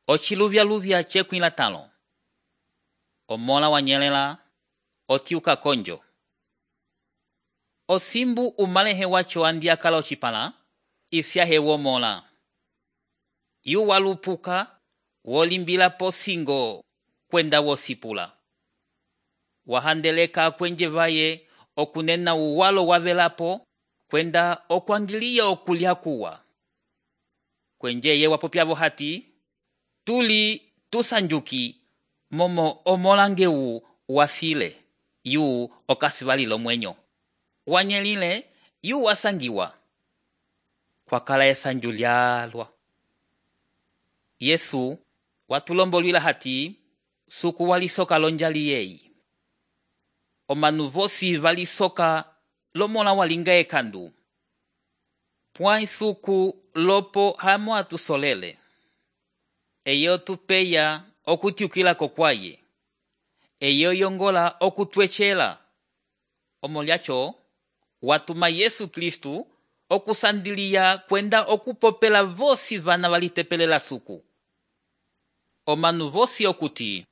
Ociluvyaluvya cekwila talo. Omola wanyelela, otiuka konjo. Osimbu umalehe wacho andiakala ocipala, isyahe womola. Yu walupuka, wolimbila posingo, kwenda wosipula. Wahandeleka kwenje vaye, okunena uwalo wavelapo, kwenda okwangilia okulya kuwa. Kwenje ye wapopyavo hati, tuli tusanjuki, momo omolangeu wafile, yu okasivalilo mwenyo. Wanyelile, yu wasangiwa. Kwakala esanju lyalwa. Yesu, watulombolwila hati, suku walisoka lonjali yei. Omanu vosi valisoka lomola walinga ekandu. Pwai suku lopo hamo atusolele. Eyo tupeya okutiukila kokwaye. Eyo yongola okutwechela. Omolyacho, watuma Yesu Kristu okusandilia kwenda okupopela vosi vana walitepelela suku. Omanu vosi okuti,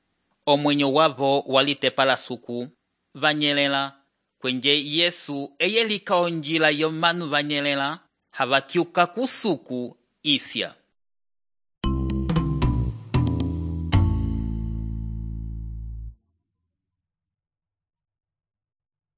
omwenyo wavo walitepala suku, vanyelela, kwenje Yesu eyelika onjila yomanu vanyelela, havatiuka kusuku isya.